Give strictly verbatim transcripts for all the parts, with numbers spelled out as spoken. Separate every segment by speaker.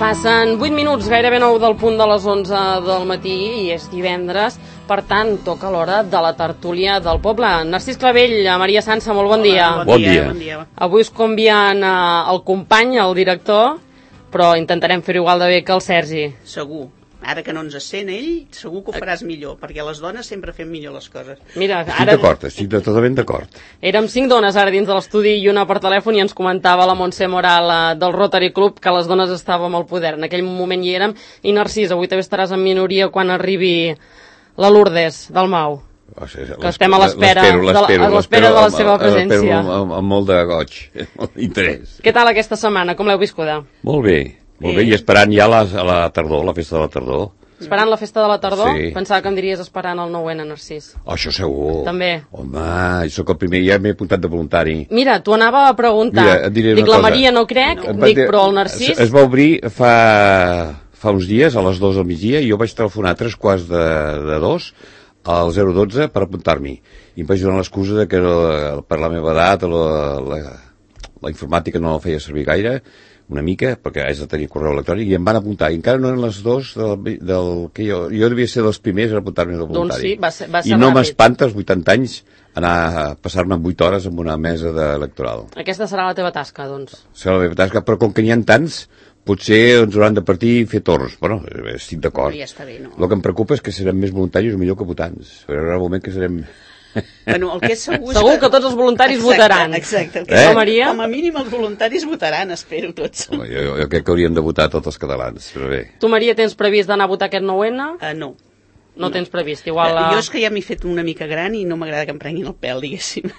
Speaker 1: Passen vuit minuts, gairebé nou del punt de les onze del matí i és divendres, per tant, toca l'hora de la tertúlia del poble. Narcís Clavell, Maria Sança, molt bon dia.
Speaker 2: Hola, bon, dia. bon dia.
Speaker 1: Avui us convien eh, el company, el director, però intentarem fer-ho igual de bé que el Sergi.
Speaker 2: Segur. Ara que no ens sent ell, segur que ho faràs millor, perquè les dones sempre fem millor les coses.
Speaker 1: Mira,
Speaker 3: estic
Speaker 1: ara...
Speaker 3: d'acord, estic totalment d'acord.
Speaker 1: Érem cinc dones ara dins de l'estudi i una per telèfon i ens comentava la Montse Moral eh, del Rotary Club que les dones estàvem al poder. En aquell moment hi érem. I Narcís, avui també estaràs en minoria quan arribi la Lourdes del Mau.
Speaker 3: O sigui,
Speaker 1: que estem a l'espera de, la, a l'espera de la seva presència.
Speaker 3: L'espero amb, amb molt de goig, molt d'interès.
Speaker 1: Què tal aquesta setmana? Com l'heu viscuda?
Speaker 3: Molt bé. Molt bé, i esperant ja la, a la tardor, la festa de la tardor.
Speaker 1: Esperant la festa de la tardor?
Speaker 3: Sí.
Speaker 1: Pensava que em diries esperant el nou ene, Narcís.
Speaker 3: Oh, això segur.
Speaker 1: També.
Speaker 3: Home, jo sóc el primer, ja m'he apuntat de voluntari.
Speaker 1: Mira, t'ho anava a preguntar.
Speaker 3: Mira, et diré
Speaker 1: dic,
Speaker 3: una
Speaker 1: la
Speaker 3: cosa.
Speaker 1: Maria no crec,
Speaker 3: No,
Speaker 1: dic,
Speaker 3: dir,
Speaker 1: però el Narcís...
Speaker 3: Es, es va obrir fa, fa uns dies, a les dues del migdia, i jo vaig telefonar a tres quarts de, de dos al zero dotze per apuntar-m'hi. I em vaig donar l'excusa de que no, per la meva edat la, la, la informàtica no la feia servir gaire, una mica, perquè haig de tenir correu electrònic, i em van apuntar, i encara no eren les dos del, del que jo, jo devia ser dels primers a apuntar-me de voluntari.
Speaker 1: Doncs sí, va ser, va ser
Speaker 3: I no
Speaker 1: ràpid.
Speaker 3: m'espanta als vuitanta anys anar a passar-me vuit hores en una mesa de electoral.
Speaker 1: Aquesta serà la teva tasca, doncs.
Speaker 3: Serà la meva tasca, però com que n'hi ha tants, potser ens hauran de partir i fer torns. Bueno, estic d'acord.
Speaker 2: Ja està bé, no?
Speaker 3: El que em preocupa és que serem més voluntaris o millor que votants. Hi haurà un moment que serem...
Speaker 2: Bueno, el que és segur,
Speaker 1: segur que tots els voluntaris
Speaker 2: exacte,
Speaker 1: votaran.
Speaker 2: Exacte.
Speaker 3: Eh?
Speaker 2: Com,
Speaker 1: Maria?
Speaker 2: com a mínim els voluntaris votaran, espero tots.
Speaker 3: Home, jo, jo crec que hauríem de votar tots els catalans, però bé.
Speaker 1: Tu, Maria, tens previst d'anar a votar aquest nou ene?
Speaker 2: Uh, no.
Speaker 1: No, no tens previst, igual...
Speaker 2: Uh,
Speaker 1: A...
Speaker 2: jo és que ja m'he fet una mica gran i no m'agrada que em prenguin el pèl, diguéssim.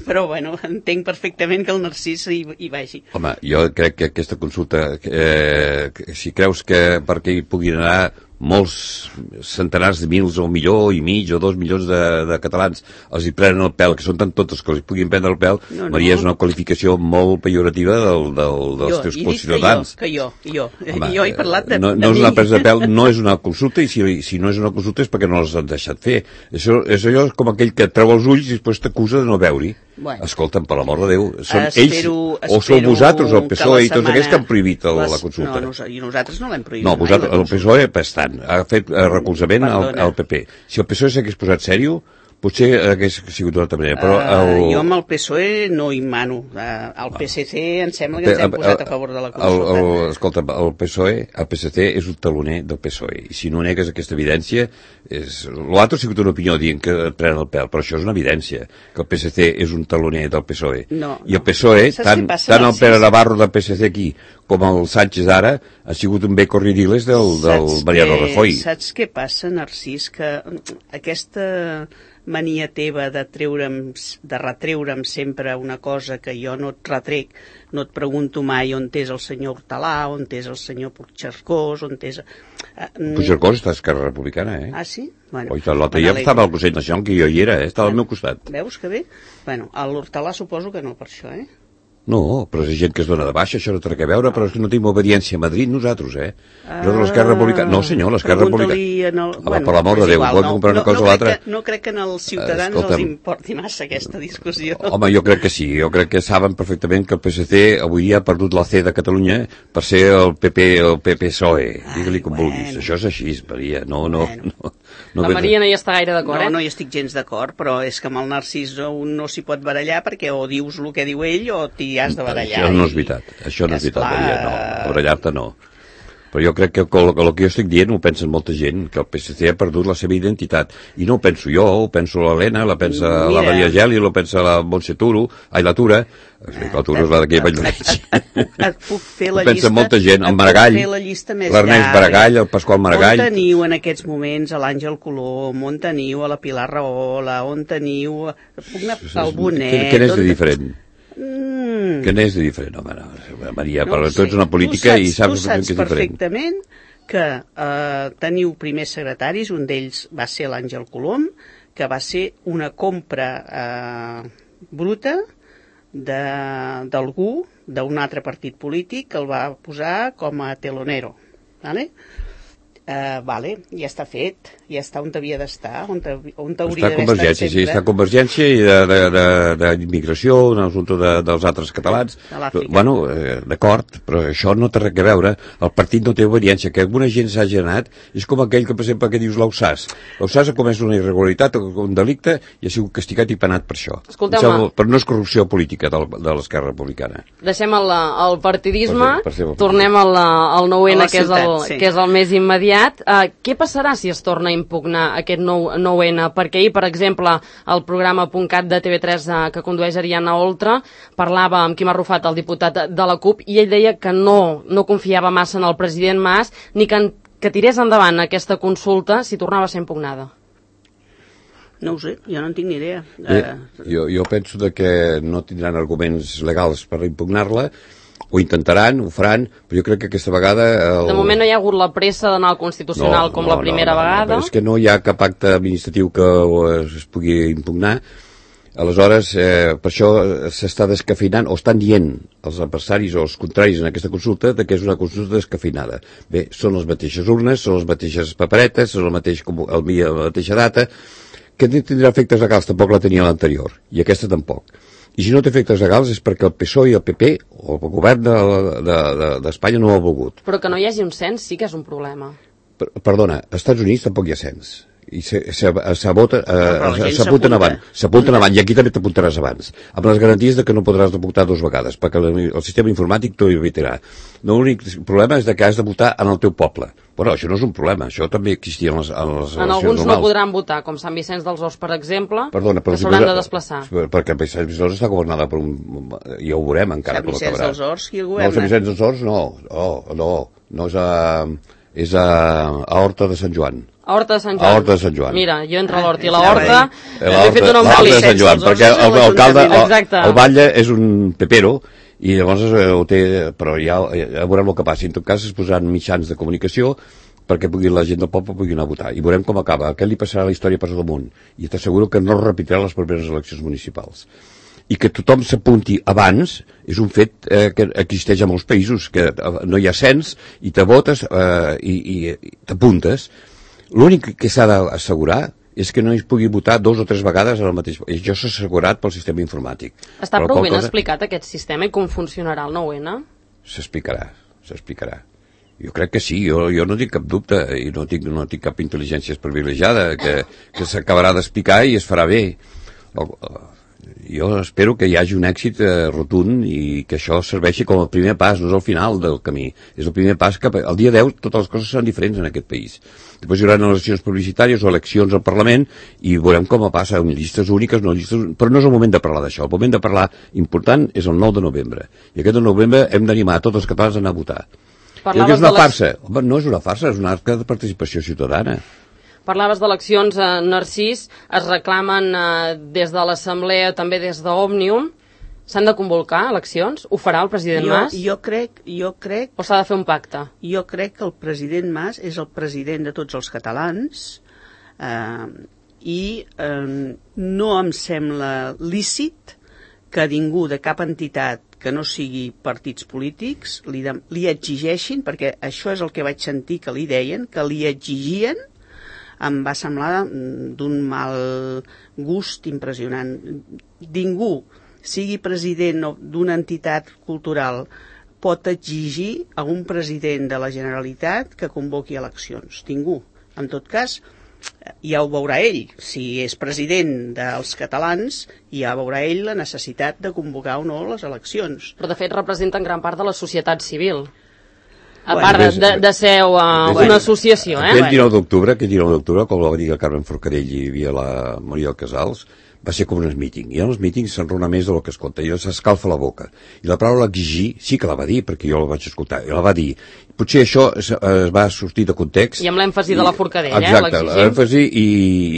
Speaker 2: Però, bueno, entenc perfectament que el Narcís hi, hi vagi.
Speaker 3: Home, jo crec que aquesta consulta, eh, si creus que perquè hi puguin anar molts centenars de mils o un milió i mig o dos milions de, de catalans els hi prenen el pèl, que són tant totes que els hi puguin prendre el pèl, no, no. Maria, és una qualificació molt pejorativa del, del, dels
Speaker 2: jo,
Speaker 3: teus conciutadans.
Speaker 2: Que jo, que jo, Home, jo he parlat de,
Speaker 3: no,
Speaker 2: de
Speaker 3: no és una
Speaker 2: mi.
Speaker 3: presa de pèl, no és una consulta, i si, si no és una consulta és perquè no els han deixat fer. Això, és allò com aquell que treu els ulls i després t'acusa de no veure-hi.
Speaker 2: Bueno.
Speaker 3: Escolta'm, per l'amor de Déu, són
Speaker 2: espero,
Speaker 3: ells, o sou vosaltres, el P S O E i tots aquells que han prohibit el,
Speaker 2: les,
Speaker 3: la consulta.
Speaker 2: No, i nosaltres no l'hem prohibit.
Speaker 3: No,
Speaker 2: mai,
Speaker 3: vosaltres, el P S O E bastant, ha fet eh, recolzament al, al P P. Si el P S O E s'hagués posat sèrio, potser hagués sigut d'una altra manera, però el...
Speaker 2: Uh, jo amb el P S O E no hi mano. Uh, el P S C em sembla que ens hem posat a favor de la consulta.
Speaker 3: El, el, escolta, el P S O E, el P S C és un taloner del P S O E, i si no negues aquesta evidència, és... l'altre ha sigut una opinió dient que et prenen el pèl, però això és una evidència, que el P S C és un taloner del P S O E.
Speaker 2: No,
Speaker 3: I el P S O E,
Speaker 2: no.
Speaker 3: tant, tant el Pere Navarro del P S C aquí, com el Sánchez ara, ha sigut un bé corridiles del, del Mariano Rajoy.
Speaker 2: Saps què passa, Narcís? Que aquesta mania teva de treure'm, de retreure'm sempre una cosa que jo no et retrec, no et pregunto mai on és el senyor Hortalà, on és el senyor Puigcercós, on és... Uh,
Speaker 3: Puigcercós està a Esquerra Republicana, eh?
Speaker 2: Ah, sí? Bueno,
Speaker 3: Oi, l'altre dia estava al Consell Nacional, que jo hi era, eh? Estava al meu costat.
Speaker 2: Veus que bé? Bueno, a l'Hortalà suposo que no, per això, eh?
Speaker 3: No, però és gent que es dona de baixa, això no té res a veure, però és que no tenim obediència a Madrid, nosaltres, eh? Nosaltres l'Esquerra Republicana... No, senyor, l'Esquerra Republicana...
Speaker 2: El...
Speaker 3: Bueno, per l'amor de Déu,
Speaker 2: igual,
Speaker 3: vol
Speaker 2: no,
Speaker 3: comprar una
Speaker 2: no,
Speaker 3: cosa
Speaker 2: no
Speaker 3: o l'altra...
Speaker 2: No crec que als ciutadans uh, els importi massa aquesta discussió.
Speaker 3: Home, jo crec que sí, jo crec que saben perfectament que el P S C avui dia ha perdut la C de Catalunya per ser el P P, el P P S O E, digue-li com
Speaker 2: bueno.
Speaker 3: vulguis. Això és així, Maria, no... no,
Speaker 2: bueno.
Speaker 3: no, no
Speaker 1: la Maria no hi està gaire d'acord,
Speaker 2: no,
Speaker 1: eh?
Speaker 2: No hi estic gens d'acord, però és que amb el Narcís un no s'hi pot barallar perquè o dius el que diu ell o t'hi has de barallar.
Speaker 3: Això no és veritat, això no és veritat,
Speaker 2: clar...
Speaker 3: Maria, no, barallar-te no. Però jo crec que el, el que jo estic dient ho pensen molta gent, que el P S C ha perdut la seva identitat. I no ho penso jo, ho penso l'Helena, la pensa Mira. la Maria Geli, ho pensa la Montse Turo, ai, la Tura, la Tura és la d'aquí a Valldoreix.
Speaker 2: Et puc fer la
Speaker 3: ho pensa
Speaker 2: llista,
Speaker 3: molta gent, el Maragall, l'Ernest Maragall, el Pasqual Maragall.
Speaker 2: On teniu en aquests moments a l'Àngel Colom, on teniu a la Pilar Rahola, on teniu el Bonet...
Speaker 3: Què n'és de diferent?
Speaker 2: Mm.
Speaker 3: Què n'és de diferent? Home, no, Maria,
Speaker 2: no
Speaker 3: però
Speaker 2: sé.
Speaker 3: tu ets una política
Speaker 2: saps,
Speaker 3: i saps,
Speaker 2: saps
Speaker 3: que és diferent.
Speaker 2: perfectament que eh, teniu primers secretaris, un d'ells va ser l'Àngel Colom, que va ser una compra eh, bruta d'algú, d'un altre partit polític, que el va posar com a telonero. Vale? Uh, vale, ja està fet, ja està on havia d'estar, on, on
Speaker 3: està
Speaker 2: hauria d'haver estat sempre.
Speaker 3: Sí, està Convergència i d'immigració, un assumpte de, dels altres catalans. Bueno, eh, d'acord, però això no té res a veure. El partit no té obediència. Que alguna gent s'ha anat és com aquell que, per exemple, que dius l'Ausàs. L'Ausàs ha comès una irregularitat, un delicte, i ha sigut castigat i penat per això.
Speaker 1: Escolteu-me.
Speaker 3: Però no és corrupció política de, de l'Esquerra Republicana.
Speaker 1: Deixem el, el partidisme,
Speaker 3: per ser, per ser
Speaker 1: tornem al, al nou ene, que,
Speaker 2: ciutat,
Speaker 1: és el,
Speaker 2: sí.
Speaker 1: que és el més immediat. Uh, què passarà si es torna a impugnar aquest nou ene? Perquè ahir, per exemple, el programa .cat de T V tres uh, que condueix Ariana Oltra parlava amb Quim Arrufat, el diputat de la CUP, i ell deia que no, no confiava massa en el president Mas ni que, que tirés endavant aquesta consulta si tornava a ser impugnada.
Speaker 2: No ho sé, jo no en tinc ni idea.
Speaker 3: Bé, jo, jo penso de que no tindran arguments legals per impugnar-la, ho intentaran, ho faran, però jo crec que aquesta vegada... El...
Speaker 1: De moment no hi ha hagut la pressa d'anar al Constitucional no, com no, la primera
Speaker 3: no, no,
Speaker 1: vegada.
Speaker 3: No, és que no hi ha cap acte administratiu que es pugui impugnar. Aleshores, eh, per això s'està descafeinant, o estan dient els adversaris o els contraris en aquesta consulta, de que és una consulta descafeinada. Bé, són les mateixes urnes, són les mateixes paperetes, són el mateix, el, la mateixa data, que tindrà efectes legals, tampoc la tenia l'anterior, i aquesta tampoc. I si no té efectes legals és perquè el P S O E i el P P, o el govern d'Espanya, de, de, no ho ha volgut.
Speaker 1: Però que no hi hagi un cens sí que és un problema.
Speaker 3: Per, perdona, als Estats Units tampoc hi ha cens. I s'apunten avant, s'apunten avant, i aquí també t'apuntaràs abans, amb les garanties de que no podràs votar dues vegades, perquè el sistema informàtic t'ho evitarà. L'únic problema és que has de votar en el teu poble. Bueno, això no és un problema, això també existia en les, en les
Speaker 1: en alguns normals. No podran votar, com Sant Vicenç dels Horts, per exemple,
Speaker 3: Perdona,
Speaker 1: que s'hauran de desplaçar.
Speaker 3: Perquè Sant Vicenç està governada per un... ja ho veurem encara com acabarà.
Speaker 2: Sant Vicenç dels Horts, qui el governa?
Speaker 3: No, Sant Vicenç dels Horts no, oh, no, no és a... és a, a Horta de Sant Joan.
Speaker 1: A Horta de Sant Joan.
Speaker 3: A Horta de Sant Joan.
Speaker 1: Mira, jo entre l'Horta i la Horta
Speaker 3: he fet un embolic. L'Horta de Sant Joan, perquè l'alcalde, el, el batlle és un pepero, i llavors ho té, però ja, ja veurem el que passi. En tot cas es posaran mitjans de comunicació perquè pugui, la gent del poble pugui anar a votar. I veurem com acaba. Què li passarà a la història per damunt? I t'asseguro que no es repetirà les properes eleccions municipals. I que tothom s'apunti abans és un fet eh, que existeix a molts països, que no hi ha cens i te votes eh, i, i t'apuntes. L'únic que s'ha d'assegurar és que no es pugui votar dos o tres vegades en el mateix... I això s'ha assegurat pel sistema informàtic.
Speaker 1: Està prou ben cosa... explicat aquest sistema i com funcionarà el nou ene?
Speaker 3: S'explicarà, s'explicarà. Jo crec que sí, jo, jo no tinc cap dubte i no tinc, no tinc cap intel·ligència privilegiada, que, que s'acabarà d'explicar i es farà bé. O, jo espero que hi hagi un èxit eh, rotund i que això serveixi com el primer pas, no és el final del camí, és el primer pas cap... El dia deu totes les coses seran diferents en aquest país. Després hi haurà eleccions publicitàries o eleccions al Parlament i veurem com passa, amb llistes úniques, no llistes... però no és el moment de parlar d'això. El moment de parlar important és el nou de novembre. I aquest de novembre hem d'animar tots els catalans a anar a votar.
Speaker 1: Parlaves
Speaker 3: és una
Speaker 1: les...
Speaker 3: farsa. Home, no és una farsa, és un acte de participació ciutadana.
Speaker 1: Parlaves d'eleccions, eh, Narcís, es reclamen eh, des de l'Assemblea, també des d'Òmnium. S'han de convocar eleccions? Ho farà el president
Speaker 2: jo,
Speaker 1: Mas?
Speaker 2: Jo crec, jo crec...
Speaker 1: O s'ha de fer un pacte?
Speaker 2: Jo crec que el president Mas és el president de tots els catalans eh, i eh, no em sembla lícit que ningú de cap entitat que no sigui partits polítics li, de, li exigeixin, perquè això és el que vaig sentir que li deien, que li exigien, em va semblar d'un mal gust impressionant. Ningú, sigui president d'una entitat cultural, pot exigir a un president de la Generalitat que convoqui eleccions. Ningú. En tot cas, ja ho veurà ell. Si és president dels catalans, ja veurà ell la necessitat de convocar o no les eleccions.
Speaker 1: Però, de fet, representen gran part de la societat civil. A
Speaker 3: bueno,
Speaker 1: part de, de, de ser uh,
Speaker 3: bueno,
Speaker 1: una associació, eh?
Speaker 3: Aquest dinou d'octubre, aquest dinou d'octubre, com va dir el Carmen Forcadell i hi havia la Maria Casals, va ser com un míting. I en els mítings s'enrona més del que es compta. I s'escalfa la boca. I la paraula exigir sí que la va dir, perquè jo la vaig escoltar. I la va dir. Potser això es, es va sortir de context.
Speaker 1: I amb l'èmfasi de la Forcadell, eh?
Speaker 3: Exacte, l'èmfasi i,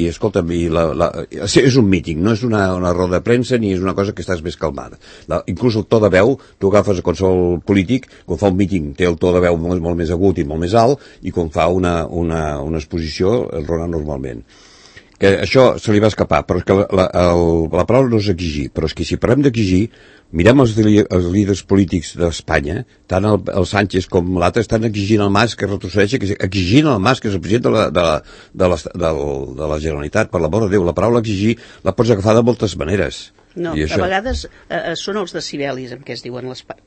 Speaker 3: i escolta'm, i la, la, és un míting, no és una, una roda de premsa ni és una cosa que estàs més calmada. La, inclús el to de veu, tu agafes a qualsevol polític, quan fa un míting té el to de veu molt, molt més agut i molt més alt, i quan fa una, una, una exposició el rona normalment. que això se li va escapar, però és que la, la, el, la paraula no és exigir, però és que si parlem d'exigir, mirem els, els líders polítics d'Espanya, tant el, el Sánchez com l'altre estan exigint al Mas que retrocedeixi, que exigint al Mas que és el president de la, de la, de la, de la, de la Generalitat, per l'amor de Déu. La paraula exigir la pots agafar de moltes maneres.
Speaker 2: No, a vegades eh, són els decibelis en què es diuen les parts.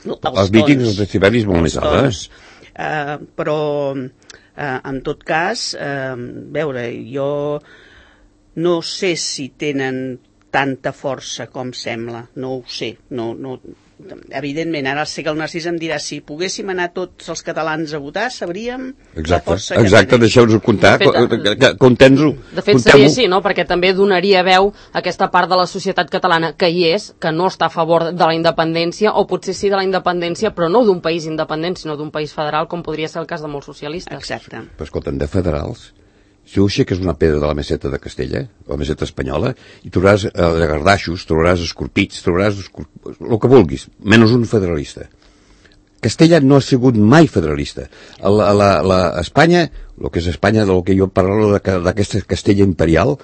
Speaker 3: Els, els mítings, els decibelis molt més alts,
Speaker 2: eh? Uh, però uh, en tot cas uh, veure, jo no sé si tenen tanta força com sembla, no ho sé, no, no, evidentment, ara sé que el Narcís em dirà si poguéssim anar tots els catalans a votar, sabríem
Speaker 3: exacte,
Speaker 2: la força que
Speaker 3: exacte, deixeu-nos comptar, contents-ho.
Speaker 1: De fet, seria així, no? Perquè també donaria veu a aquesta part de la societat catalana que hi és, que no està a favor de la independència, o potser sí de la independència, però no d'un país independent, sinó d'un país federal, com podria ser el cas de molts socialistes.
Speaker 2: Exacte.
Speaker 3: Però escolta'm, de federals, si ho aixeques una pedra de la meseta de Castella, la meseta espanyola, i trobaràs eh, gardaixos, trobaràs escorpits, trobaràs escorp... el que vulguis, menys un federalista. Castella no ha sigut mai federalista. La, la, la Espanya, el que és Espanya, del que jo parlo d'aquesta Castella imperial,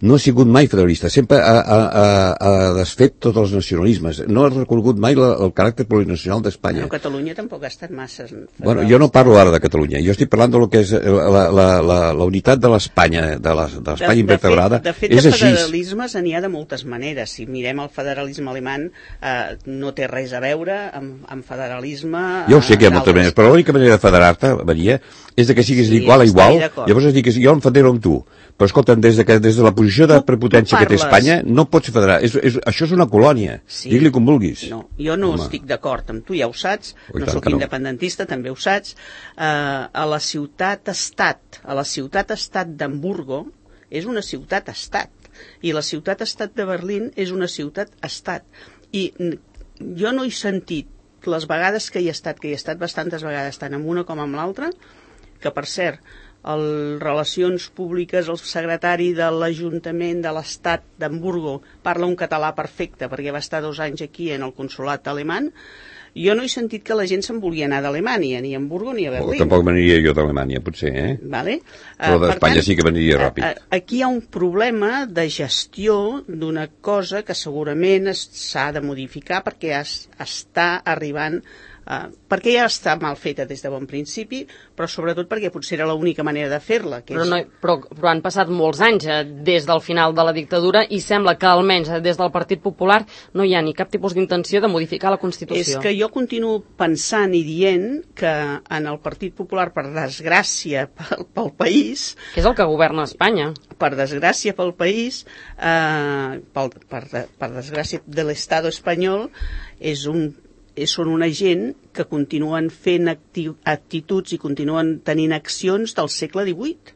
Speaker 3: no ha sigut mai federalista, sempre ha, ha, ha, ha desfet tots els nacionalismes, no ha reconegut mai la, el caràcter plurinacional d'Espanya.
Speaker 2: Però Catalunya tampoc ha estat massa federalista.
Speaker 3: Bueno, jo no parlo ara de Catalunya, jo estic parlant de lo que és la, la, la, la unitat de l'Espanya, de l'Espanya invertebrada,
Speaker 2: de fet,
Speaker 3: és
Speaker 2: de
Speaker 3: així.
Speaker 2: De federalismes n'hi ha de moltes maneres. Si mirem el federalisme alemany, eh, no té res a veure amb, amb federalisme...
Speaker 3: Jo ho sé que hi ha moltes maneres, però l'única manera de federar-te, Maria, és de que siguis
Speaker 2: sí,
Speaker 3: d'igual a igual, llavors es dic que jo em federo amb tu. Però escolta'm, des de, que, des de la posició de prepotència que té Espanya, no pots federar. És, és, això és una colònia. Sí. Digue-li com vulguis.
Speaker 2: No, jo no Home. estic d'acord amb tu, ja ho saps.
Speaker 3: Oi,
Speaker 2: no sóc
Speaker 3: no.
Speaker 2: independentista, també ho saps. Uh, a la ciutat-estat, a la ciutat-estat d'Hamburgo, és una ciutat-estat. I la ciutat-estat de Berlín és una ciutat-estat. I jo no he sentit les vegades que hi he estat, que hi he estat bastantes vegades, tant amb una com amb l'altra, que per cert, el Relacions Públiques, el secretari de l'Ajuntament de l'Estat d'Hamburgo parla un català perfecte perquè va estar dos anys aquí en el consolat alemany. Jo no he sentit que la gent se'n volia anar d'Alemanya, ni a Hamburgo ni a Berlín.
Speaker 3: Oh, tampoc veniria jo d'Alemanya, potser, eh?
Speaker 2: Vale.
Speaker 3: Però d'Espanya sí que veniria ràpid.
Speaker 2: Aquí hi ha un problema de gestió d'una cosa que segurament s'ha de modificar perquè es, està arribant... Uh, perquè ja està mal feta des de bon principi, però sobretot perquè potser era l'única manera de fer-la.
Speaker 1: Però, no, però, però han passat molts anys eh, des del final de la dictadura i sembla que almenys eh, des del Partit Popular no hi ha ni cap tipus d'intenció de modificar la Constitució.
Speaker 2: És que jo continuo pensant i dient que en el Partit Popular, per desgràcia pel, pel país...
Speaker 1: Que és el que governa Espanya.
Speaker 2: Per desgràcia pel país, eh, pel, per, per desgràcia de l'Estat espanyol, és un... són una gent que continuen fent actituds i continuen tenint accions del segle divuit.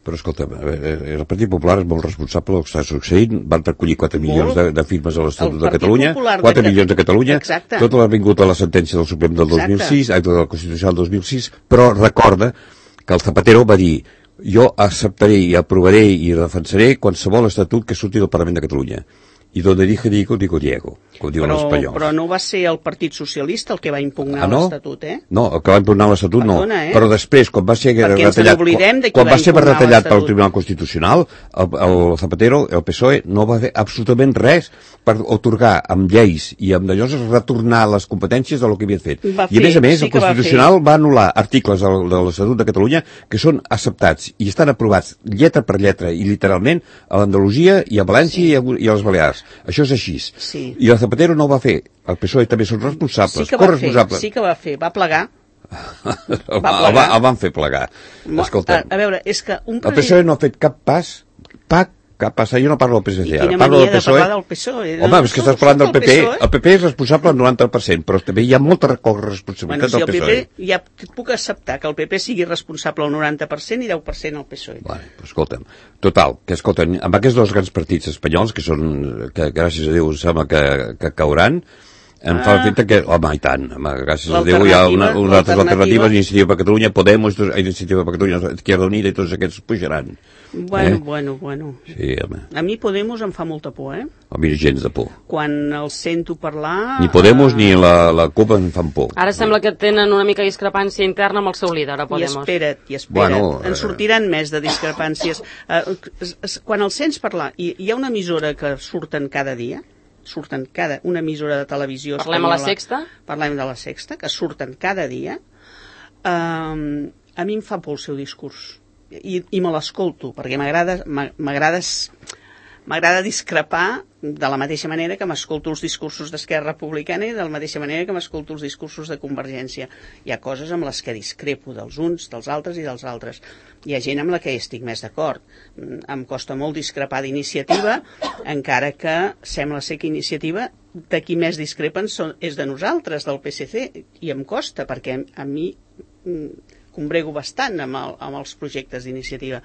Speaker 3: Però escolta, el Partit Popular és molt responsable del que està succeint, van recollir quatre milions de, de firmes a l'Estatut de Catalunya, quatre milions de Catalunya,
Speaker 2: exacte.
Speaker 3: Tot l'ha vingut a la sentència del Suprem del dos mil sis, acte de la Constitucional del dos mil sis, però recorda que el Zapatero va dir jo acceptaré i aprovaré i defensaré qualsevol estatut que surti del Parlament de Catalunya. I donde dije digo, digo Diego, com diuen els espanyols.
Speaker 2: Però no va ser el Partit Socialista el que va impugnar
Speaker 3: ah, no?
Speaker 2: l'Estatut, eh?
Speaker 3: No, el que va impugnar l'Estatut
Speaker 2: Perdona,
Speaker 3: no.
Speaker 2: Eh?
Speaker 3: Però després, quan va ser
Speaker 2: Perquè
Speaker 3: retallat, quan, quan va, va ser retallat pel Tribunal Constitucional, el, el Zapatero, el P S O E, no va fer absolutament res per otorgar amb lleis i amb d'allò retornar les competències del que havia fet.
Speaker 2: Va
Speaker 3: I a més a més,
Speaker 2: sí
Speaker 3: el Constitucional va, va anul·lar articles de, de l'Estatut de Catalunya que són acceptats i estan aprovats lletra per lletra i literalment a l'Andalusia i a València sí. i, a, i a les Balears. Això és així.
Speaker 2: Sí.
Speaker 3: I el Zapatero no ho va fer. El P S O E també són responsables,
Speaker 2: sí que
Speaker 3: corresponsables.
Speaker 2: Fer, sí que va fer, va plegar.
Speaker 3: el, va el, va, el van fer plegar. Escolta,
Speaker 2: a, a veure, és que un
Speaker 3: president... El P S O E no ha fet cap pas, pa, cap pas, jo no parlo del P S C, ara parlo del P S O E.
Speaker 2: De del P S O E.
Speaker 3: Home, no, és que estàs parlant del P P, el P P és responsable del noranta per cent, però també hi ha molta responsabilitat
Speaker 2: bueno, si
Speaker 3: del P S O E.
Speaker 2: P P, ja puc acceptar que el P P sigui responsable al noranta per cent i deu per cent al P S O E.
Speaker 3: Bueno, pues, escolta'm, total, que escolta'm, amb aquests dos grans partits espanyols, que són, que gràcies a Déu sembla que, que cauran, Em fa l'efecte que, home, i tant, home, gràcies a Déu hi ha una, unes altres
Speaker 2: l'alternativa-
Speaker 3: alternatives, Iniciativa per Catalunya, Podemos, tots- Iniciativa per Catalunya, Izquierda Unida i tots aquests pujaran.
Speaker 2: Bueno,
Speaker 3: Eh?
Speaker 2: bueno, bueno.
Speaker 3: Sí, home,
Speaker 2: A mi Podemos em fa molta por, eh?
Speaker 3: a mi gens de por.
Speaker 2: Quan els sento parlar...
Speaker 3: Ni Podemos
Speaker 2: eh,
Speaker 3: ni la, la CUP em fan por.
Speaker 1: Ara sembla que tenen una mica discrepància interna amb el seu líder, a
Speaker 2: I
Speaker 1: Podemos.
Speaker 2: espera't, i espera't.
Speaker 3: Bueno,
Speaker 2: en
Speaker 3: eh,
Speaker 2: sortiran més de discrepàncies. Eh, es- es- quan els sents parlar, i hi ha una emissora que surten cada dia, surten cada, una emissora de televisió
Speaker 1: Parlem a la
Speaker 2: espanyola,
Speaker 1: Sexta?
Speaker 2: Parlem de la Sexta, que surten cada dia, eh, a mi em fa por el seu discurs. I, i me l'escolto, perquè m'agrada m'a- m'agrada m'agrada discrepar de la mateixa manera que m'escolto els discursos d'Esquerra Republicana i de la mateixa manera que m'escolto els discursos de Convergència. Hi ha coses amb les que discrepo dels uns, dels altres i dels altres. Hi ha gent amb la que estic més d'acord. Mm, Em costa molt discrepar d'Iniciativa, encara que sembla ser que Iniciativa de qui més discrepen són, és de nosaltres, del P S C, i em costa, perquè a mi mm, combrego bastant amb, el, amb els projectes d'Iniciativa.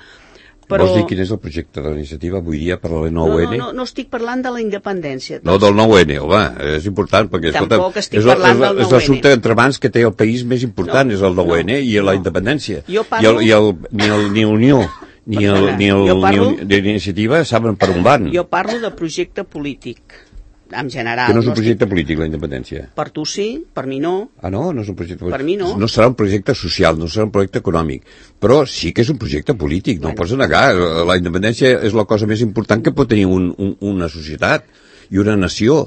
Speaker 3: Però... Vols dir quin és el projecte de l'iniciativa? Vull dir, per la nou N?
Speaker 2: No, no, no, no estic parlant de la independència.
Speaker 3: No, del nou N, home, és important, perquè,
Speaker 2: Tampoc
Speaker 3: escolta,
Speaker 2: estic
Speaker 3: és, el-
Speaker 2: parlant
Speaker 3: és,
Speaker 2: del
Speaker 3: és
Speaker 2: nou N.
Speaker 3: l'assumpte entre mans que té el país més important,
Speaker 2: No,
Speaker 3: és el nou N
Speaker 2: no,
Speaker 3: i la
Speaker 2: no.
Speaker 3: independència.
Speaker 2: Jo
Speaker 3: I,
Speaker 2: parlo-
Speaker 3: el, i el, ni, el, ni Unió ni el,
Speaker 2: Perdona,
Speaker 3: ni el,
Speaker 2: jo parlo-
Speaker 3: ni el, de l'iniciativa saben per on van.
Speaker 2: Jo parlo de projecte polític, en general.
Speaker 3: Que no és un
Speaker 2: estic-
Speaker 3: projecte polític, la independència.
Speaker 2: Per tu sí, per mi no.
Speaker 3: Ah, no? No és un projecte polític.
Speaker 2: Per mi no.
Speaker 3: No serà un projecte social, no serà un projecte econòmic, però sí que és un projecte polític, no
Speaker 2: Bueno.
Speaker 3: ho pots negar. La independència és la cosa més important que pot tenir un, un, una societat i una nació.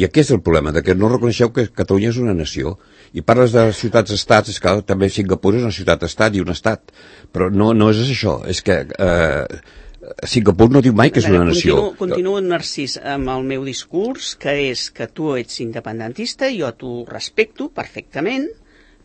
Speaker 3: I aquest és el problema, de que no reconeixeu que Catalunya és una nació. I parles de ciutats-estats, és que també Singapur és una ciutat-estat i un estat. Però no, no és això, és que... Eh, Singapur no diu mai que és una nació.
Speaker 2: Continuo, continuo, Narcís, amb el meu discurs, que és que tu ets independentista, jo t'ho respecto perfectament,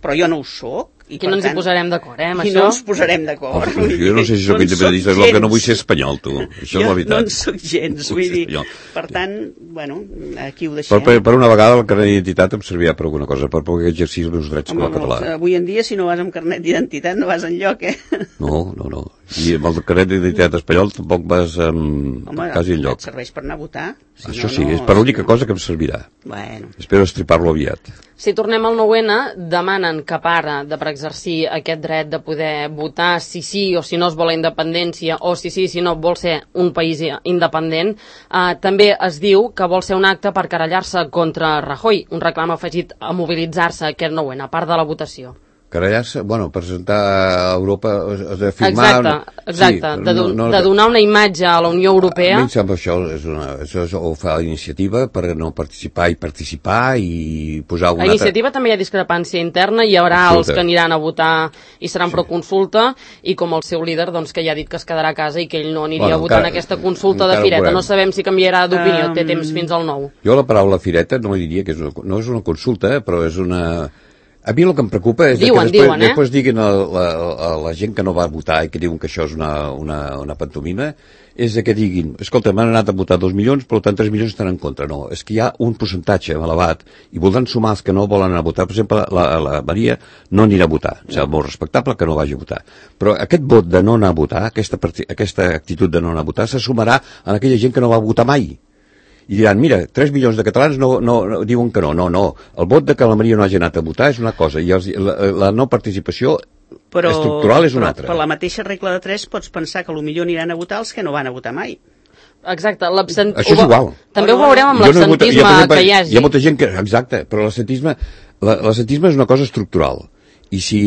Speaker 2: però jo no ho soc. I
Speaker 1: Aquí no ens hi posarem d'acord, eh, amb
Speaker 2: I
Speaker 1: això?
Speaker 2: no ens posarem d'acord.
Speaker 3: Oh, jo no sé si soc independentista, és el que no vull ser espanyol, tu. Això és la
Speaker 2: Jo
Speaker 3: veritat.
Speaker 2: no en soc gens,
Speaker 3: No vull
Speaker 2: vull
Speaker 3: ser
Speaker 2: dir,
Speaker 3: espanyol.
Speaker 2: per tant, bueno, aquí ho
Speaker 3: Per,
Speaker 2: deixem.
Speaker 3: per, per una vegada el carnet d'identitat em servirà per alguna cosa, per poder exercir els meus drets com a
Speaker 2: Home,
Speaker 3: català.
Speaker 2: avui en dia, si no vas amb carnet d'identitat, no vas enlloc, eh?
Speaker 3: No, no, no. I amb el carnet d'identitat espanyol tampoc vas um,
Speaker 2: Home,
Speaker 3: quasi
Speaker 2: et
Speaker 3: enlloc.
Speaker 2: serveix per anar a votar. Si
Speaker 3: Això
Speaker 2: no,
Speaker 3: sí,
Speaker 2: no,
Speaker 3: és per l'única
Speaker 2: si no-
Speaker 3: cosa que em servirà.
Speaker 2: Bueno,
Speaker 3: Espero estripar-lo aviat.
Speaker 1: Si tornem al nou N, demanen que para de per exercir aquest dret de poder votar si sí o si no es vol la independència o si sí, si no vol ser un país independent. Eh, també es diu que vol ser un acte per querellar-se contra Rajoy, un reclam afegit a mobilitzar-se aquest nou N, a part de la votació.
Speaker 3: Querellar-se, bueno, presentar a Europa, has de firmar...
Speaker 1: Exacte, exacte,
Speaker 3: Sí,
Speaker 1: de, do,
Speaker 3: no, no,
Speaker 1: de donar una imatge a la Unió
Speaker 3: A
Speaker 1: Europea.
Speaker 3: mi em sembla això, és una, això és, ho fa la iniciativa per no participar i participar i posar una
Speaker 1: A iniciativa també hi ha discrepància interna, hi haurà
Speaker 3: Absoluta.
Speaker 1: els que aniran a votar i seran sí. pro consulta, i com el seu líder doncs, que ja ha dit que es quedarà a casa i que ell no aniria
Speaker 3: Bueno,
Speaker 1: a votar
Speaker 3: encara-
Speaker 1: en aquesta consulta de
Speaker 3: encara ho
Speaker 1: fireta.
Speaker 3: veurem.
Speaker 1: No sabem si canviarà d'opinió,
Speaker 2: Um,
Speaker 1: té temps fins al nou.
Speaker 3: Jo la paraula fireta no diria que és una, no és una consulta, però és una... A mi el que em preocupa és
Speaker 1: Diuen,
Speaker 3: que després,
Speaker 1: diuen, eh?
Speaker 3: després diguin a la, a la gent que no va votar i que diuen que això és una, una, una pantomima, és de que diguin, escolta, m'han anat a votar dos milions, per tant tres milions estan en contra. No, és que hi ha un percentatge elevat i voldran sumar els que no volen anar a votar. Per exemple, la, la Maria no anirà a votar. O sigui, molt respectable que no vagi a votar. Però aquest vot de no anar a votar, aquesta, aquesta actitud de no anar a votar, se sumarà a aquella gent que no va votar mai. I diran, mira, tres milions de catalans no, no, no diuen que no, no, no. El vot de que la Maria no hagi anat a votar és una cosa i els, la, la no participació
Speaker 2: però,
Speaker 3: estructural és una
Speaker 2: però,
Speaker 3: altra.
Speaker 2: Per la mateixa regla de tres pots pensar que potser aniran a votar els que no van a votar mai.
Speaker 1: Exacte, l'absent...
Speaker 3: Això és igual.
Speaker 1: També ho
Speaker 2: No, no,
Speaker 1: veurem amb
Speaker 3: Jo no he votat-
Speaker 1: l'absentisme
Speaker 3: hi ha, per exemple,
Speaker 1: que hi hagi.
Speaker 3: Hi ha molta gent que... Exacte, però l'absentisme la- l'absentisme és una cosa estructural. I si,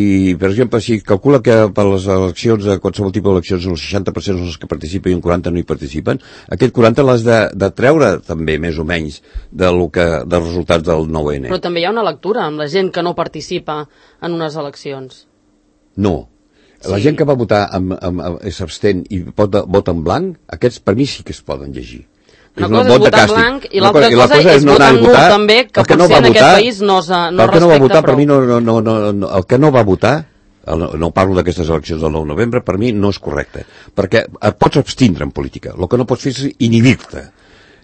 Speaker 3: per exemple, si calcula que per les eleccions, a qualsevol tipus d'eleccions, el seixanta per cent són els que participen i un quaranta per cent no hi participen, aquest quaranta l'has de, de treure també, més o menys, de lo que, dels resultats del nou N.
Speaker 1: Però també hi ha una lectura amb la gent que no participa en unes eleccions.
Speaker 3: No. La
Speaker 2: Sí.
Speaker 3: gent que va votar amb, amb, amb, s'abstén i vota, vota en blanc, aquests per mi sí que es poden llegir.
Speaker 1: Una
Speaker 3: un
Speaker 1: cosa és
Speaker 3: vot de
Speaker 1: votar en
Speaker 3: càstig.
Speaker 1: blanc i
Speaker 3: Una
Speaker 1: l'altra
Speaker 3: cosa- i la
Speaker 1: cosa és
Speaker 3: no anar
Speaker 1: votar
Speaker 3: a
Speaker 1: en nul també, que
Speaker 3: el que no
Speaker 1: potser
Speaker 3: va
Speaker 1: en aquest
Speaker 3: votar-
Speaker 1: país no, es- no
Speaker 3: el que no va
Speaker 1: respecta
Speaker 3: votar per
Speaker 1: prou.
Speaker 3: mi no, no, no, no, no, el que no va votar, el, no, no parlo d'aquestes eleccions del nou de novembre, per mi no és correcte, perquè et pots abstindre en política, el que no pots fer és inhibir-te.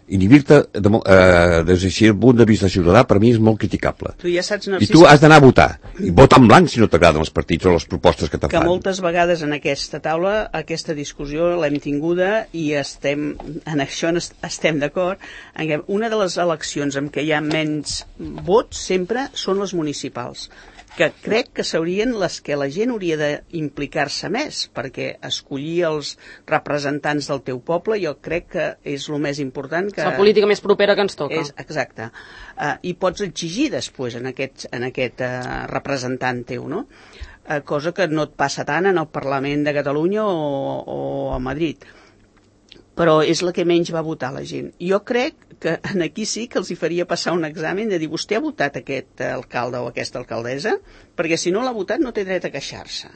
Speaker 3: inhibir-te de, eh, des del punt de vista ciutadà per mi és molt criticable.
Speaker 2: Tu ja saps,
Speaker 3: Narcís, I tu has d'anar a votar. I vota en blanc si no t'agraden els partits o les propostes que te
Speaker 2: que
Speaker 3: fan.
Speaker 2: moltes vegades en aquesta taula aquesta discussió l'hem tinguda i estem, en això estem d'acord, en què una de les eleccions en què hi ha menys vots sempre són les municipals, que crec que serien les que la gent hauria d'implicar-se més, perquè escollir els representants del teu poble jo crec que és el més important. Que
Speaker 1: és la política més propera que ens toca.
Speaker 2: És, exacte. Uh, I pots exigir després en aquest, en aquest uh, representant teu, no? Uh, cosa que no et passa tant en el Parlament de Catalunya o, o a Madrid. Però és la que menys va votar la gent. Jo crec que aquí sí que els hi faria passar un examen de dir, vostè ha votat aquest alcalde o aquesta alcaldessa? Perquè si no l'ha votat no té dret a queixar-se.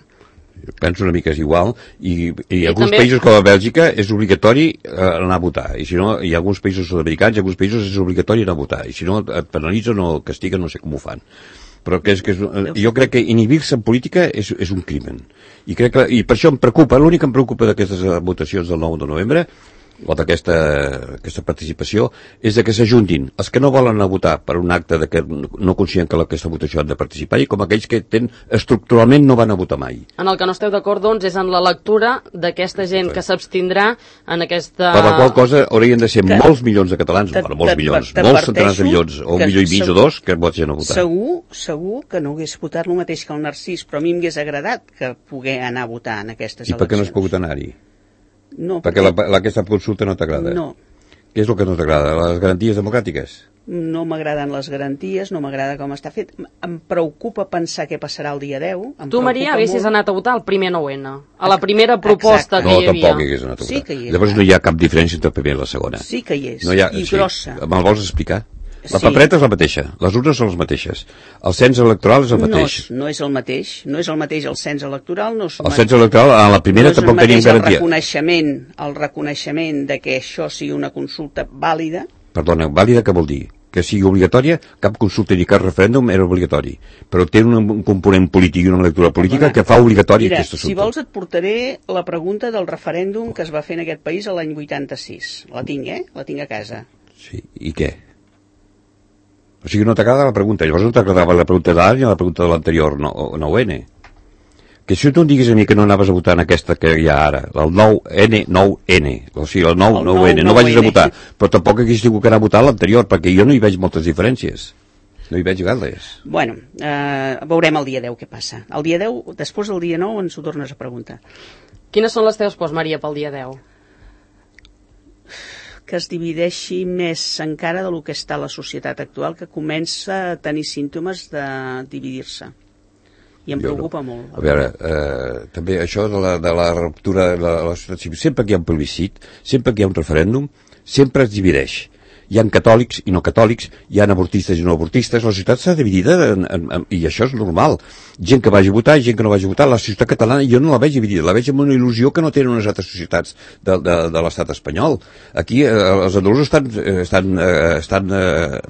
Speaker 3: Jo penso una mica és igual, i, i, I alguns
Speaker 1: també...
Speaker 3: països com a Bèlgica és obligatori eh, anar a votar, i si no, hi ha alguns països sud-americans, i alguns països és obligatori anar a votar, i si no et penalitzen o castiguen, no sé com ho fan. Però que és, que és, jo crec que inhibir-se en política és, és un crimen. I, crec que, I per això em preocupa, l'únic que em preocupa d'aquestes votacions del nou de novembre, o d'aquesta aquesta participació, és de que s'ajuntin els que no volen anar a votar per un acte de que no consideren que aquesta votació han de participar, i com aquells que ten, estructuralment no van a votar mai.
Speaker 1: En el que no esteu d'acord, doncs, és en la lectura d'aquesta gent que s'abstindrà en aquesta...
Speaker 3: Per la qual cosa haurien de ser que, molts milions de catalans, te, molts milions, molts centenars de milions, o un milió i mig o dos, que vots ja no votar.
Speaker 2: Segur, segur que no hagués votat el mateix que el Narcís, però a mi m'hagués agradat que pogués anar a votar en aquestes
Speaker 3: eleccions. I per què no has pogut anar-hi?
Speaker 2: No,
Speaker 3: perquè la, la, aquesta consulta no t'agrada?
Speaker 2: No.
Speaker 3: Què és el que no t'agrada? Les garanties democràtiques?
Speaker 2: No m'agraden les garanties, no m'agrada com està fet. Em preocupa pensar què passarà el dia deu. Em
Speaker 1: tu, Maria, haguessis anat a votar al primer nou ene, a la primera proposta Exacte. que
Speaker 3: no,
Speaker 1: hi havia.
Speaker 3: No, tampoc hi hagués anat a votar.
Speaker 2: Sí que hi és.
Speaker 3: Llavors no hi ha cap diferència entre la primera i la segona.
Speaker 2: Sí que hi és,
Speaker 3: no hi ha,
Speaker 2: i
Speaker 3: sí.
Speaker 2: grossa.
Speaker 3: Me'l vols explicar? La
Speaker 2: Sí.
Speaker 3: papereta és la mateixa, les urnes són les mateixes, el cens electoral és el mateix.
Speaker 2: No, no és el mateix, no és el mateix el cens electoral. No és
Speaker 3: el cens electoral, a la primera
Speaker 2: no
Speaker 3: tampoc teníem garantia.
Speaker 2: El reconeixement, el reconeixement de que això sigui una consulta vàlida.
Speaker 3: Perdona, vàlida què vol dir? Que sigui obligatòria, cap consulta ni cap referèndum era obligatori, però té un, un component polític i una lectura política Perdona, que fa obligatori
Speaker 2: mira,
Speaker 3: aquest assumpte.
Speaker 2: Si vols et portaré la pregunta del referèndum que es va fer en aquest país l'any vuitanta-sis. La tinc, eh? La tinc a casa.
Speaker 3: Sí, i què? O sigui, no t'agrada la pregunta. Llavors no t'agradava la pregunta de l'any ni la pregunta de l'anterior nou ene. Que si tu em diguis a mi que no anaves a votar en aquesta que hi ha ara, el nou ene, nou ene, o sigui, el nou, nou ene, no vagis a votar, però tampoc hagués tingut que anar a votar l'anterior, perquè jo no hi veig moltes diferències. No hi veig gaires.
Speaker 2: Bueno, eh, veurem el dia deu què passa. El dia deu, després del dia nou, ens ho tornes a preguntar.
Speaker 1: Quines són les teves pors, Maria, pel dia deu?
Speaker 2: Que es divideixi més encara del que està la societat actual, que comença a tenir símptomes de dividir-se. I em jo preocupa no. molt.
Speaker 3: A veure, eh, també això de la, de la ruptura de la, la societat civil, sempre que hi ha un plebiscit, sempre que hi ha un referèndum, sempre es divideix. Hi ha catòlics i no catòlics, hi ha avortistes i no avortistes, la societat està dividida en, en, en, i això és normal. Gent que vagi a votar i gent que no vagi a votar. La societat catalana jo no la veig dividida, la veig amb una il·lusió que no tenen unes altres societats de, de, de l'estat espanyol. Aquí eh, els andalusos estan, estan, eh, estan eh,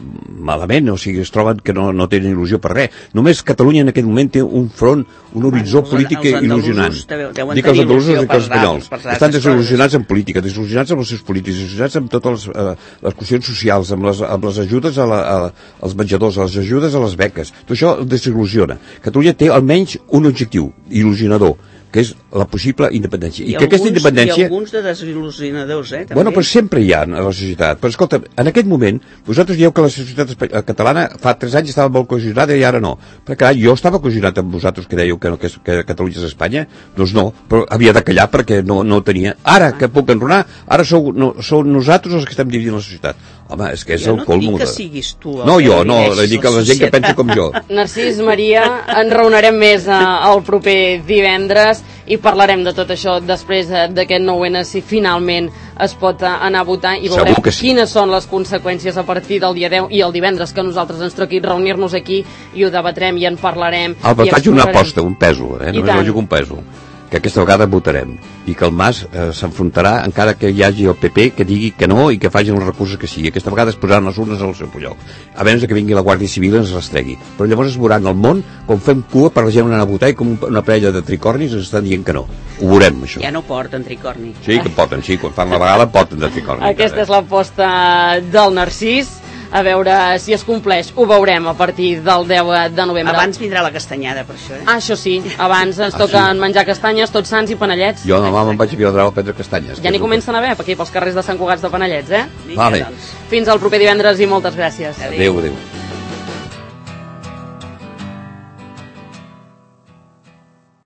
Speaker 3: malament, o sigui, es troben que no, no tenen il·lusió per res. Només Catalunya en aquest moment té un front, un horitzó bueno, polític il·lusionant. Dic els andalusos i els espanyols. Estan desil·lusionats en política, desil·lusionats amb els seus polítics, desil·lusionats amb totes les, eh, les qüestions socials, amb les, amb les ajudes a la, a, als menjadors, a les ajudes a les beques. Tot això desil·lusiona. Catalunya té almenys un objectiu il·lusionador, que és la possible independència. I, I que
Speaker 2: alguns,
Speaker 3: aquesta independència...
Speaker 2: I alguns de desil·lusionadors, eh? També.
Speaker 3: Bueno, però sempre hi ha a la societat. Però escolta, en aquest moment, vosaltres dieu que la societat catalana fa tres anys estava molt cohesionada i ara no. Però carai, jo estava cohesionat amb vosaltres que dèieu que, no, que, que Catalunya és Espanya, doncs no, però havia de callar perquè no, no tenia. Ara, que puc enronar, ara sou, no, sou nosaltres els que estem dividint la societat. Home, és que és
Speaker 2: jo
Speaker 3: el colmo.
Speaker 2: Jo no dic que siguis tu.
Speaker 3: No, jo, no, dic a la gent que pensa com jo.
Speaker 1: Narcís, Maria, ens reunirem més eh, el proper divendres i parlarem de tot això després d'aquest nou ene, si finalment es pot anar a votar, i veurem
Speaker 3: sí.
Speaker 1: quines són les conseqüències a partir del dia deu i el divendres que nosaltres ens toqui reunir-nos aquí i ho debatrem i en parlarem.
Speaker 3: Alba, faig una aposta, un pèsol, eh? Només ho jugo un pèsol. que aquesta vegada votarem i que el Mas eh, s'enfrontarà encara que hi hagi el P P que digui que no i que facin els recursos que sigui. Aquesta vegada es posaran les urnes al seu lloc, a menys que vingui la Guàrdia Civil i ens rastregui. Però llavors es veuran el món com fem cua per la gent anar a votar i com una parella de tricornis ens estan dient que no. Ho veurem, això.
Speaker 2: Ja no porten tricorni.
Speaker 3: Sí, que porten, sí, quan fan la vegada porten de tricorni.
Speaker 1: Aquesta és l'aposta del Narcís. A veure si es compleix. Ho veurem a partir del deu de novembre.
Speaker 2: Abans vindrà la castanyada, per això, eh?
Speaker 1: Ah, això sí. Abans ens toquen ah, sí? menjar castanyes, tots sants i panellets.
Speaker 3: Jo demà me'n vaig a Viladrau a prendre castanyes.
Speaker 1: Ja n'hi comencen a haver, aquí pels carrers de Sant Cugat de Panellets, eh?
Speaker 3: Vale.
Speaker 1: Fins al proper divendres i moltes gràcies.
Speaker 3: Adéu, adéu.